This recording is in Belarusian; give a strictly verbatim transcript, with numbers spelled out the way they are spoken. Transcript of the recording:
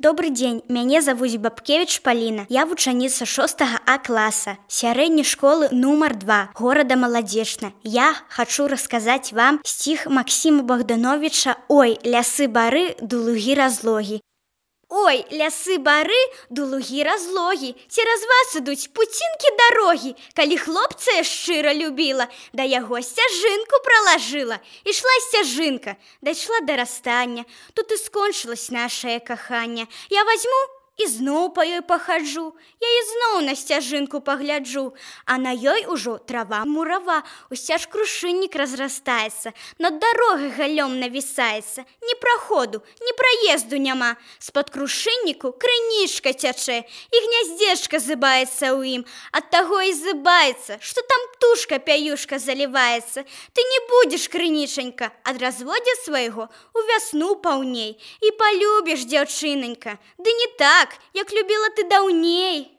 Добрый дзень, мяне завуць Бабкевіч Паліна. Я вучаніца шостага А класа сярэдняй школы нумар два горада Маладзечна. Я хачу расказаць вам стих Максима Богдановича «Ой, лясы бары, ды лугі разлогі». Ой, лясы бары, ды лугі разлогі, цераз вас ідуць пуцінкі дарогі. Калі хлопца я шчыра любіла, да яго сцяжынку пралажыла. Ішла сцяжынка, дайшла да расстання, тут і скончылась нашае каханне. Я вазьму і зноў па ёй пахаджу, я і зноў на сцяжынку пагляджу, а на ёй ужо трава мурава, усцяж крушыннік разрастаецца, над дарогай галём навісаецца, ні праходу, ні праезду няма. З-пад крушынніку крынічка цячэ, і гняздзечка зыбаецца ў ім, ад таго і зыбаецца, што там птушка пяюшка заліваецца. Ты не будзеш, крынічанька, ад разводдзя свайго у вясну паўней, і палюбіш, дзяўчынанька, ды не так, як любіла ты даўней.